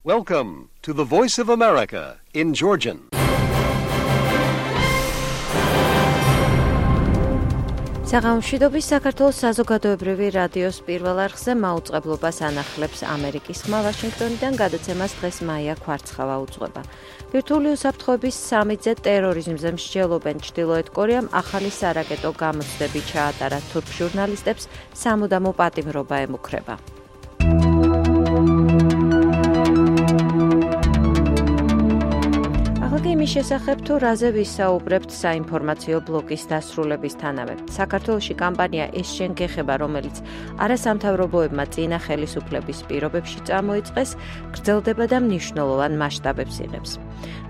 Welcome to the Voice of America in Georgian. საღამოშვიდობის საქართველოს საზოგადოებრივი რადიოს პირველ არხზე მაუწყებლობას ანახლებს ამერიკის ხმა ვაშინგტონიდან, გადაცემას დღეს მაია ქვარცხავა უძღვება. ბირთვული უსაფრთხოების სამიტზე ტერორიზმზე მსჯელობენ ჩრდილოეთ კორეამ ახალი სარაკეტო გამოცდები ჩაატარა, თურქ ჟურნალისტებს სამუდამო პატიმრობა ემუქრება. იმის შესახებ თუ რაზე ვისაუბრებთ საინფორმაციო ბლოკის დასრულებისთანავე. საქართველოში კამპანია ეს შენ გეხება, რომელიც არასამთავრობოებმა წინა ხელისუფლების პირობებში წამოიწყეს, გრძელდება და მნიშვნელოვან მასშტაბებს იღებს.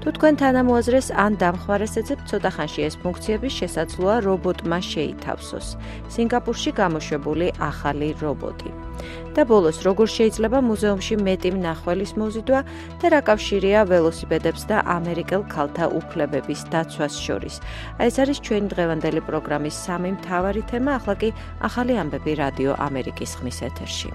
თუ თქვენ თანამოაზრეს ან დამხმარეს ეძებთ, ცოტა ხანში ეს ფუნქციები შესაძლოა რობოტმა შეითავსოს. სინგაპურში გამოშვებული ახალი რობოტი. და ბოლოს, როგორ შეიძლება მუზეუმში მეტი მნახველის მოზიდვა და რა კავშირია ველოსიპედებს და ამერიკელ ქალთა უფლებების დაცვას შორის. ეს არის ჩვენი დღევანდელი პროგრამის სამი მთავარი თემა, ახლა კი ახალი ამბები რადიო ამერიკის ხმის ეთერში.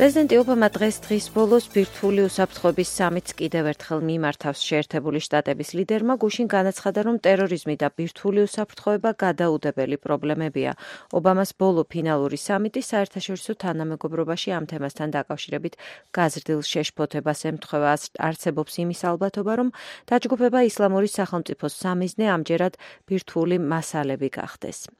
პრეზიდენტი ობამა დღის ბოლოს ბირთვული უსაფრთხოების სამიტს კიდევ ერთხელ მიმართავს. შეერთებული შტატების ლიდერმა გუშინ განაცხადა, რომ ტერორიზმი და ბირთვული უსაფრთხოება გადაუდებელი პრობლემებია. ობამას ბოლო ფინალური სამიტი საერთაშორისო თანამეგობრობაში ამ თემასთან დაკავშირებით გაზრდილ შეშფოთებას ემთხვევა. არსებობს იმის ალბათობა, რომ დაჯგუფება ისლამური სახელმწიფოს სამიზნე ამჯერად ბირთვული მასალები გახდეს.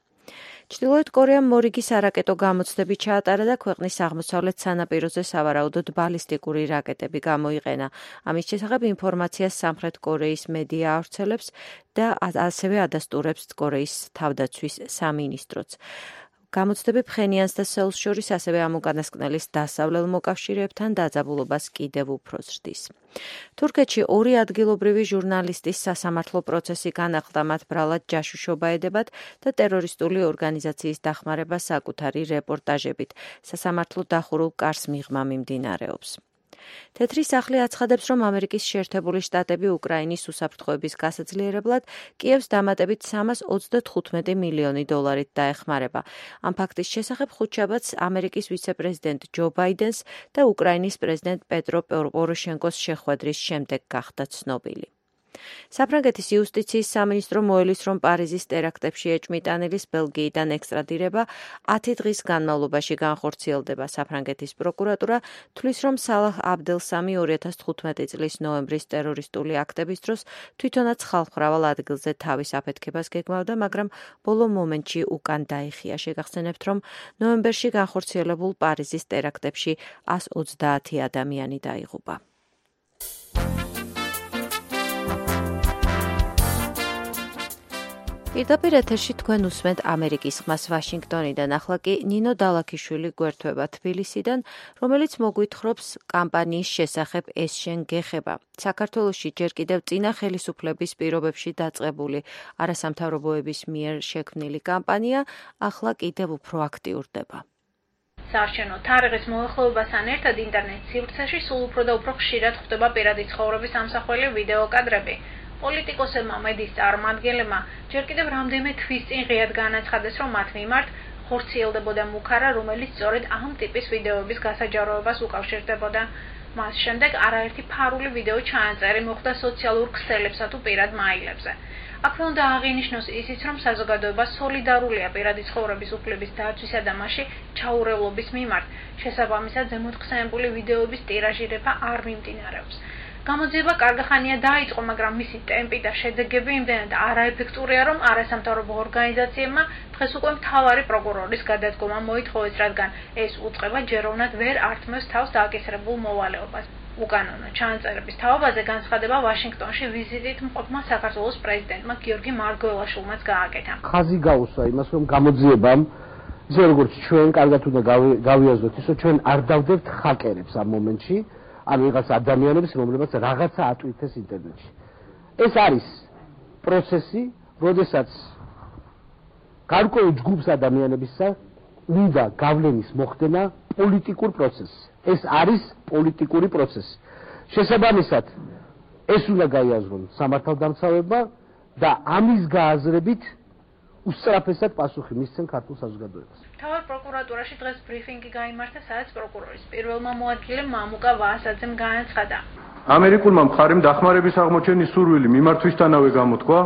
ჩრდილოეთ კორეამ მორიგი სარაკეტო გამოცდები ჩაატარა და ქვეყნის აღმოსავლეთ სანაპიროზე სავარაუდოდ ბალისტიკური რაკეტები გამოიყენა. ამის შესახებ ინფორმაციას სამხრეთ კორეის მედია ავრცელებს და ასევე ადასტურებს კორეის თავდაცვის სამინისტროც. გამოცდები ფხენიანს და სეულს შორის ასევე ამ უკანასკნელის დასავლელ მოკავშირეებთან დაძაბულობას კიდევ უფრო ზრდის. თურქეთში ორი ადგილობრივი ჟურნალისტის სასამართლო პროცესი განახლდა, მათ ბრალად ჯაშუშობა ედებათ და ტერორისტული ორგანიზაციის დახმარება საკუთარი რეპორტაჟებით. სასამართლო დახურულ კარს მიღმა მიმდინარეობს. თეთრი სახლი აცხადებს, რომ ამერიკის შეერთებული შტატები უკრაინის უსაფრთხოების გასაძლიერებლად კიევს დამატებით 325 მილიონი დოლარით დაეხმარება. ამ ფაქტის შესახებ ხუთშაბათს ამერიკის ვიცე-პრეზიდენტ ჯო ბაიდენს და უკრაინის პრეზიდენტ პეტრო პოროშენკოს შეხვედრის შემდეგ გახდა ცნობილი. საფრანგეთის იუსტიციის სამინისტრო მოელის, რომ პარიზის ტერაქტებში ეჭვმიტანილის ბელგიიდან ექსტრადირება 10 დღის განმავლობაში განხორციელდება. საფრანგეთის პროკურატურა თვლის, რომ სალაჰ აბდელსამი 2015 წლის ნოემბრის ტერორისტული აქტების დროს თვითონაც ხალხმრავალ ადგილზე თავის აფეთქებას გეგმავდა, მაგრამ ბოლო მომენტში უკან დაიხია. შეგახსენებთ, რომ ნოემბერში განხორციელებულ პარიზის ტერაქტებში 130 ადამიანი დაიღუპა. პირდაპირ ეთერში თქვენ უსმენთ ამერიკის ხმას ვაშინგტონიდან, ახლა კი ნინო დალაქიშვილი გვერდება თბილისიდან, რომელიც მოგვითხრობს კამპანიის შესახებ ეს შენ გეხება. საქართველოში ჯერ კიდევ წინა ხელისუფლების პირობებში დაწყებული არასამთავრობოების მიერ შექმნილი კამპანია ახლა კიდევ უფრო აქტიურდება. საარჩევნო თარიღის მოახლოებასთან ერთად ინტერნეტ სივრცეში სულ უფრო და უფრო ხშირად ხვდება პირადი ცხოვრების ამსახველი ვიდეო კადრები. პოლიტიკოსებმა, მედიის წარმომადგენლებმა ჯერ კიდევ რამდენიმე თვის წინ ღიად განაცხადეს, რომ მათ მიმართ ხორციელდებოდა მუქარა, რომელიც სწორედ ამ ტიპის ვიდეოების გასაჯაროებას უკავშირდებოდა. მას შემდეგ არაერთი ფარული ვიდეო ჩაანწერი მოხდა სოციალურ ქსელებსა თუ პირად მაილებზე. აქვე უნდა აღინიშნოს ისიც, რომ საზოგადოება სოლიდარულია პირადი ცხოვრების უფლების დაცვისა და მასში ჩაურევლობის მიმართ. შესაბამისად, ზემოთხსენებული ვიდეოების ტირაჟირება არ მიმდინარეობს. გამოძიება კარგახანია დაიწყო, მაგრამ მისი ტემპი და შედეგები იმდენად არაეფექტურია, რომ არასამთავრობო ორგანიზაციებმა დღეს უკვე მთავარი პროკურორის გადადგომა მოითხოვეს, რადგან ეს უწყება ჯეროვნად ვერ ართმევს თავს დააკისრებულ მოვალეობას. უკანონო ჩანაწერების თავობაზე განცხადება ვაშინგტონში ვიზიტით მყოფმა საქართველოს პრეზიდენტმა გიორგი მარგველაშვილმაც გააკეთა. ხაზი გაუსვა იმას, რომ გამოძიებამ ისე როგორც ჩვენ კარგად უნდა გავიაზროთ, ისე ჩვენ არ დავდებთ ჰაკერებს ამ მომენტში. ან ვიღაც ადამიანებს, რომლებიც რაღაცა ატვირთეს ინტერნეტში. ეს არის პროცესი, როდესაც გარკვეულ ჯგუფს ადამიანებისა უნდა გავლენის მოხდენა პოლიტიკურ პროცესს. ეს არის პოლიტიკური პროცესი. შესაბამისად, ეს უნდა გაიაზრონ სამართალდამცავებმა და ამის გააზრებით უსწრაფესად პასუხი მისცენ ქართულ საზოგადოებას. მთავარ პროკურატურაში დღეს ბრიფინგი გაიმართა, სადაც პროკურორის პირველმა მოადგილემ მამუკა ვაასაძემ განაცხადა. ამერიკულმა მხარემ დახმარების აღმოჩენის სურვილი მიმართვისთანავე გამოთქვა,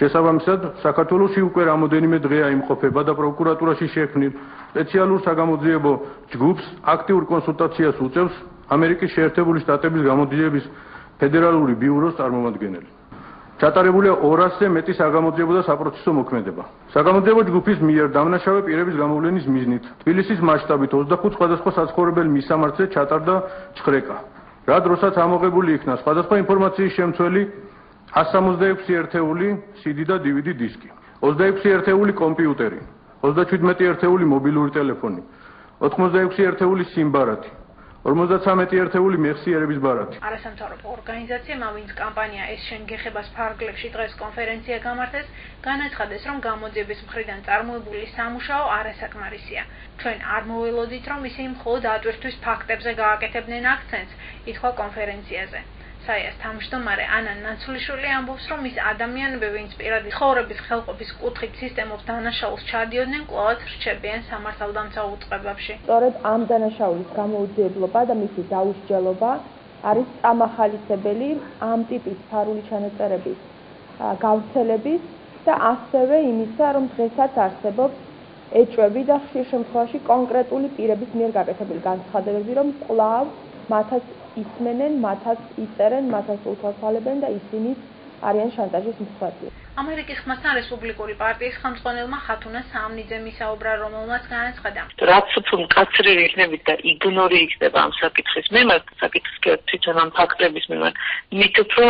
შესაბამისად, საქართველოში უკვე რამოდენიმე დღეა იმყოფება და პროკურატურაში შექმნილ სპეციალურ საგამოძიებო ჯგუფს აქტიურ კონსულტაციას უწევს ამერიკის შეერთებული შტატების გამოდიების ფედერალური ბიუროს წარმომადგენელი. ჩატარებულია 200-ზე მეტი საგამოძიებო და საპროცესო მოქმედება. საგამოძიებო ჯგუფის მიერ დამნაშავე პირების გამოვლენის მიზნით თბილისის მასშტაბით 25 სხვადასხვა საცხოვრებელ მისამართზე ჩატარდა ჩხრეკა. რა დროსაც ამოღებული იქნა სხვადასხვა ინფორმაციის შემცველი 166 ერთეული CD და DVD დისკი, 26 ერთეული კომპიუტერი, 37 ერთეული მობილური ტელეფონი, 86 ერთეული სიმბარათი, 53 ერთეული მეხსიერების ბარათი. არასამთავრობო ორგანიზაციამ ავინც კამპანია ეს შენ გეხებას ფარგლებში დღეს კონფერენცია გამართეს, განაცხადეს, რომ გამოძიების მხრიდან წარმოებული სამუშაო არასაკმარისია. ჩვენ არ მოველოდით, რომ ისინი მხოლოდ ატვირთვის ფაქტებზე გააკეთებდნენ აქცენტს, ითქვა კონფერენციაზე. საიას თავმჯდომარე ანა ნაცვლიშვილი ამბობს, რომ ის ადამიანები, ვინც პირადი ცხოვრების ხელყოფის კუთხით სისტემის დანაშაულს ჩადიოდნენ, კვლავაც რჩებიან სამართალდამცავ უწყებებში. სწორედ ამ დანაშაულის გამოუძიებლობა და მისი დაუსჯელობა არის წამახალისებელი ამ ტიპის ფარული ჩანაწერების გავრცელების და ასევე იმისა, რომ დღესაც არსებობს ეჭვები და ხშირ შემთხვევაში კონკრეტული პირების მიერ გაკეთებული განცხადებები, რომ კვლავ მათაც ისმენენ, მათაც იწერენ, მათაც უთვალთვალებენ და ისინი არიან შანტაჟის მსხვერპლი. ამერიკის ხმასთან რესპუბლიკური პარტიის ხელმძღვანელმა ხათუნა საამნიძემ ისაუბრა, რომელმაც განაცხადა. რაც უფრო მკაცრები იქნებით და იგნორი იქნება ამ საკითხის მიმართ, საკითხის თვითონ ამ ფაქტების მიმართ, მით უფრო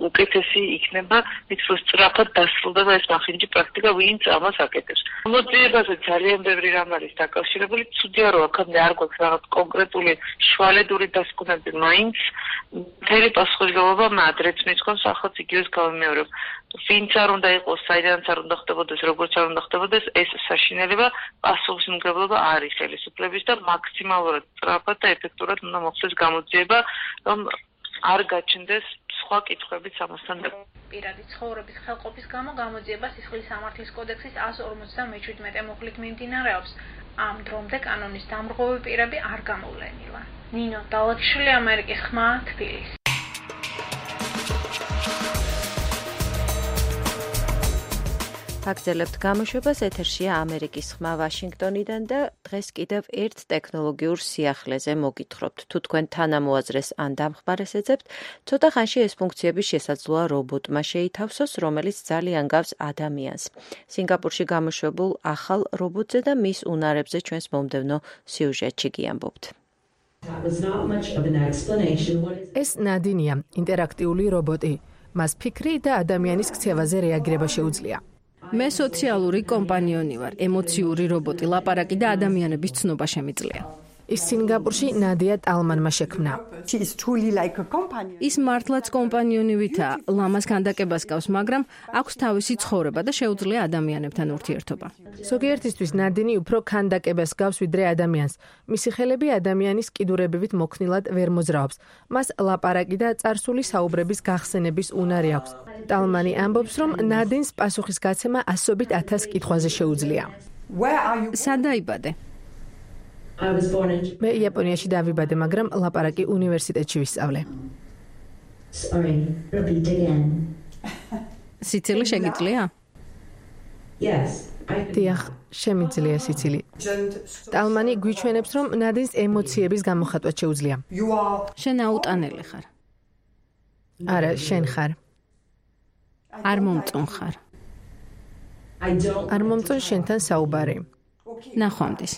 უკეთესი იქნება, მით უფრო სწრაფად დასრულდება ეს მახინჯი პრაქტიკა, ვინც ამას აკეთებს. მოძიებაზე ძალიან ბევრი რამ არის დაკავშირებული, ცუდია რომ აქამდე არ გვაქვს რაღაც კონკრეტული შვალედური დასკვნები, მაინც მთელი პასუხისმგებლობა მადრეც მიწყობს, ახაც იგივეს გავიმეორებ. ვინც არ უნდა იყოს, საიდანაც არ უნდა ხდებოდეს, როგორც არ უნდა ხდებოდეს, ეს საშინელება პასუხისმგებლობა არის ხელისუფლების და მაქსიმალურად სწრაფად და ეფექტურად უნდა მოხდეს გამოძიება, რომ არ გაჩნდეს სხვა კითხვებიც ამასთან. პირადი ცხოვრების ხელყოფის გამო გამოძიება სისხლის სამართლის კოდექსის 157 მუხლით მიმდინარეობს. ამ დრომდე კანონის დამრღვევი პირები არ გამოვლენილა. ნინო დალაჩშვილი, ამერიკის ხმა, თბილისი. აგრძელებთ გამოშვებას, ეთერშია ამერიკის ხმა ვაშინგტონიდან და დღეს კიდევ ერთ ტექნოლოგიურ სიახლეზე მოგითხრობთ. თუ თქვენ თანამოაზრეს ან დამხმარეს ეძებთ, ცოტა ხანში ეს ფუნქციები შესაძლოა რობოტმა შეითავსოს, რომელიც ძალიან გავს ადამიანს. სინგაპურში გამოშვებულ ახალ რობოტზე და მის უნარებზე ჩვენს მომდევნო სიუჟეტში გიამბობთ. ეს ნადინია, ინტერაქტიული რობოტი. მას ფიქრი და ადამიანის ქცევაზე რეაგირება შეუძლია. მე სოციალური კომპანიონი ვარ, ემოციური რობოტი, ლაპარაკი და ადამიანების ცნობა შემიძლია. ის სინგაპურში ნადია ტალმანმა შექმნა. ის მართლაც კომპანიონივითაა, ლამას ქანდაკებას გავს, მაგრამ აქვს თავისი ცხოვრება და შეუძლია ადამიანებთან ურთიერთობა. ზოგიერთისთვის ნადინი უფრო ქანდაკებას გავს ვიდრე ადამიანს. მისი ხელები ადამიანის კიდურებივით მოქნილად ვერ მოძრაობს. მას ლაპარაკი და წარსული საუბრების გახსენების უნარი აქვს. ტალმანი ამბობს, რომ ნადინს პასუხისგაცემა 100,000 კითხვაზე შეუძლია. სად დაიბადე? მე იაპონიაში დავიბადე, მაგრამ ლაპარაკი უნივერსიტეტში ვისწავლე. სიცილი შეგიძლია? დიახ, შემიძლია სიცილი. ტალმანი გვიჩვენებს, რომ ნადინს ემოციების გამოხატვა შეუძლია. შენ აუტანელი ხარ. არა, შენ ხარ. არ მომწონ ხარ. არ მომწონ შენთან საუბარი. ნახვამდის.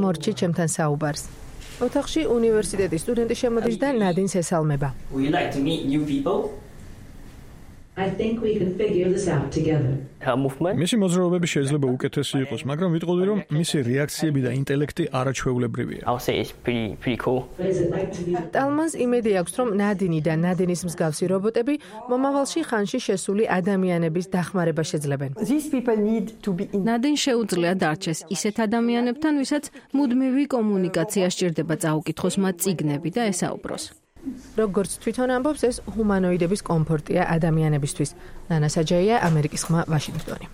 მორჩი ჩემთან საუბარს. ოთახში უნივერსიტეტის სტუდენტი შემოდის და ნადინს ესალმება. მისი მოძრაობები შეიძლება უკეთესი იყოს, მაგრამ ვიტყოდი, რომ მისი რეაქციები და ინტელექტი არაჩვეულებრივია. ტალმანს იმედი აქვს, რომ ნადინი და ნადინის მსგავსი რობოტები მომავალში ხანში შესული ადამიანების დახმარება შეძლებენ. ნადინს შეუძლია დარჩეს ისეთ ადამიანებთან, ვისაც მუდმივი კომუნიკაცია სჭირდება წაუკითხოს მათ წიგნები და ესაუბროს. როგორც თვითონ ამბობს, ეს ჰუმანოიდების კომფორტია ადამიანებისთვის. ნანა საჯაია, ამერიკის ხმა, ვაშინგტონი.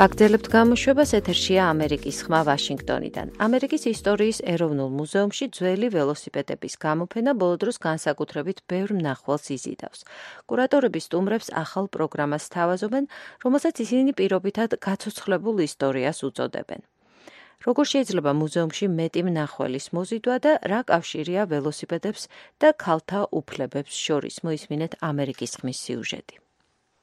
ვაგრძელებთ გამოშვებას, ეთერშია ამერიკის ხმა ვაშინგტონიდან. ამერიკის ისტორიის ეროვნულ მუზეუმში ძველი ველოსიპედების გამოფენა ბოლო დროს განსაკუთრებით ბევრ მნახველს იზიდავს. კურატორები სტუმრებს ახალ პროგრამას სთავაზობენ, რომელსაც ისინი პირობითად გაცოცხლებულ ისტორიას უწოდებენ. როგორ შეიძლება მუზეუმში მეტი მნახველის მოზიდვა და რა კავშირია ველოსიპედებს და ქალთა უფლებებს შორის, მოისმინეთ ამერიკის ხმის სიუჟეტი.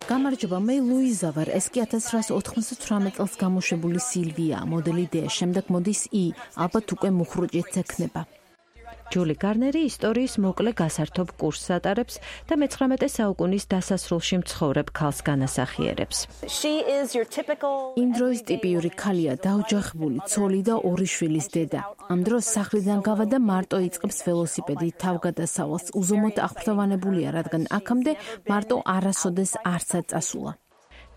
გამარჯობა, მე ლუიზა ვარ, ეს კი 1998 წელს გამოშვებული სილვია, მოდელი D, შემდეგ მოდის I, ალბათ უკვე მუხრუჭიც ექნება. ჯული გარნერი ისტორიის მოკლე გასართობ კურსს ატარებს და მე-19 საუკუნის დასასრულში მცხოვრებ ქალს განასახიერებს. იმ დროის ტიპიური ქალია, დაოჯახებული, ცოლი და 2 შვილის დედა. ამ დროს სახლიდან გავა და მარტო იწყებს ველოსიპედით თავგადასავალს. უზომოდ აღფრთოვანებულია, რადგან აქამდე მარტო არასოდეს არცად წასულა.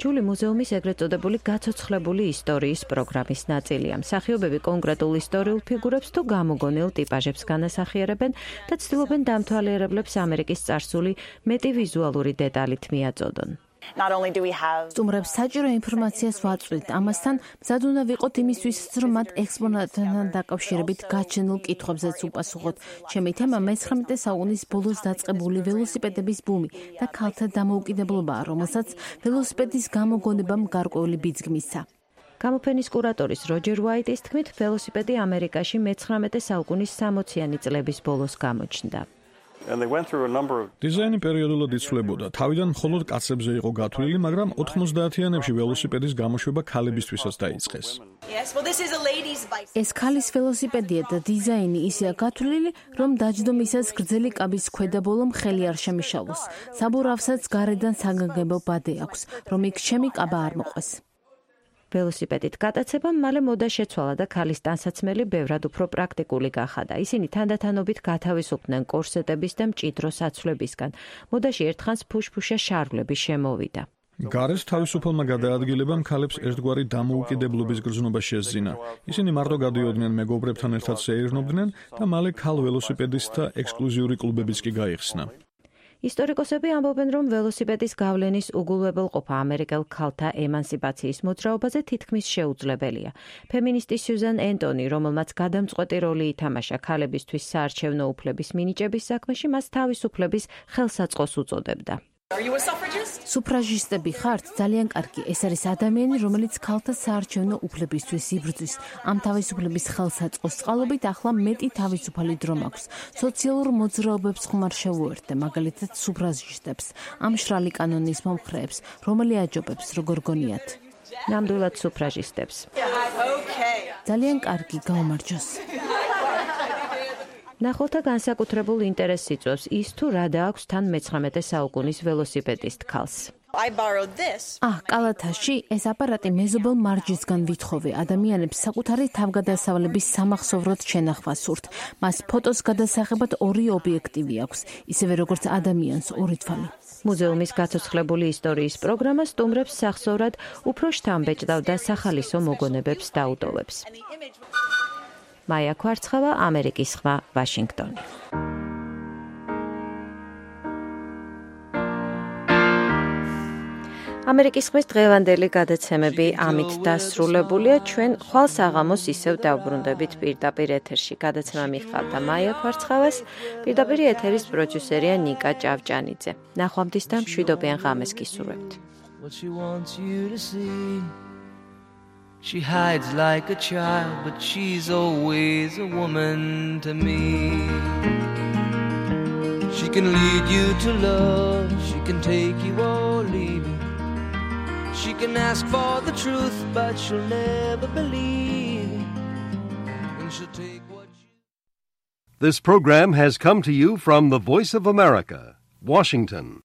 ჯული მუზეუმის ეგრეთ წოდებული გაცოცხლებული ისტორიის პროგრამის ნაწილია. მსახიობები კონკრეტულ ისტორიულ ფიგურებს თუ გამოგონილ ტიპაჟებს განასახიერებენ და ცდილობენ დამთვალიერებლებს ამერიკის წარსული მეტი ვიზუალური დეტალით მიაწოდონ. სტუმრებს საჭირო ინფორმაციას ვაწვდით, ამასთან მზად უნდა ვიყოთ იმისთვის, რომ მათ ექსპონატთან დაკავშირებით გაჩენილ კითხვებზეც უპასუხოთ. ჩემი თემა მე-19 საუკუნის ბოლოს დაწყებული ველოსიპედების ბუმი და ქალთა დამოუკიდებლობაა, რომელსაც ველოსიპედის გამოგონებამ გარკვეული ბიძგი მისცა. გამოფენის კურატორის როჯერ უაიტის თქმით, ველოსიპედი ამერიკაში მე-19 საუკუნის 60-იანი წლების ბოლოს გამოჩნდა. დიზაინი პერიოდულად იცვლებოდა. თავიდან მხოლოდ კაცებზე იყო გათვლილი, მაგრამ 90-იანებში ველოსიპედის გამოშვება ქალებისთვისაც დაიწყეს. ეს ქალის ველოსიპედია და დიზაინი ისეა გათვლილი, რომ დაჯდომისას გრძელი კაბის ქვედა ბოლო მხელი არ შემიშალოს. საბურავსაც გარედან საგანგებო ბადე აქვს, რომ იქ ჩემი კაბა არ მოყვეს. ველოსიპედით გატაცებამ მალე მოდა შეცვალა და ქალის ტანსაცმელი ბევრად უფრო პრაქტიკული გახადა. ისინი თანდათანობით გათავისუფლდნენ კორსეტების და მჭიდრო საცვლებისგან. მოდაში ერთხანს ფუშფუშა შარვლები შემოვიდა. გარეს თავისუფალმა გადაადგილებამ ქალებს ერთგვარი დამოუკიდებლობის გრძნობა შესძინა. ისინი მარტო გადიოდნენ მეგობრებთან ერთად სეირნობდნენ და მალე ქალ ველოსიპედისტთა ექსკლუზიური კლუბებიც კი გაიხსნა. ისტორიკოსები ამბობენ, რომ ველოსიპედის გავლენის უგულვებელყოფა ამერიკელ ქალთა ემანსიპაციის მოძრაობაზე თითქმის შეუძლებელია. ფემინისტი სიუზან ენტონი, რომელმაც გადამწყვეტი როლი ითამაშა ქალებისთვის საარჩევნო უფლების მინიჭების საქმეში, მას თავისუფლების ხელსაწყოს უწოდებდა. სუფრაჟისტები ხართ? ძალიან კარგი. ეს არის ადამიანი, რომელიც ქალთა საარჩევნო უფლებისთვის იბრძვის. ამ თავისუფლების ხელსაწყოს წყალობით ახლა მეტი თავისუფალი დრო მაქვს. სოციალურ მოძრაობებს ხმარ შევუერთდე, მაგალითად სუფრაჟისტებს, ამ მშრალი კანონის მომხრეებს, რომელი აჯობებს, როგორ გონიათ? ნამდვილად სუფრაჟისტებს. ძალიან კარგი, გაუმარჯოს. ნახულთა განსაკუთრებულ ინტერესს იწვევს ის, თუ რა დააქვს თან მე-19 საუკუნის ველოსიპედისტ ქალს. კალათაში ეს აპარატი მეზობელ მარჯისგან ვითხოვე. ადამიანებს საკუთარი თავგადასავლების სამახსოვროდ შენახვა სურთ. მას ფოტოს გადასაღებად 2 ობიექტივი აქვს, ისევე როგორც ადამიანს 2 თვალი. მუზეუმის გაცოცხლებული ისტორიის პროგრამა სტუმრებს სახსოვრად უფრო შთამბეჭდავ და სახალისო მოგონებებს დაუტოვებს. მაია ქვარცხავა, ამერიკის ხმა, ვაშინგტონი. ამერიკის ხმის დღევანდელი გადაცემები ამით დასრულებულია. ჩვენ ხვალ საღამოს ისევ დავბრუნდებით პირდაპირ ეთერში. გადაცემა მიხავდა მაია ქვარცხავას, პირდაპირ ეთერის პროდიუსერია ნიკა ჭავჭანიძე. ნახვამდის და მშვიდობიან ღამეს გისურვებთ. She hides like a child, but she's always a woman to me. She can lead you to love, she can take you or leave you. She can ask for the truth, but she'll never believe. And she'll take what you... This program has come to you from the Voice of America, Washington.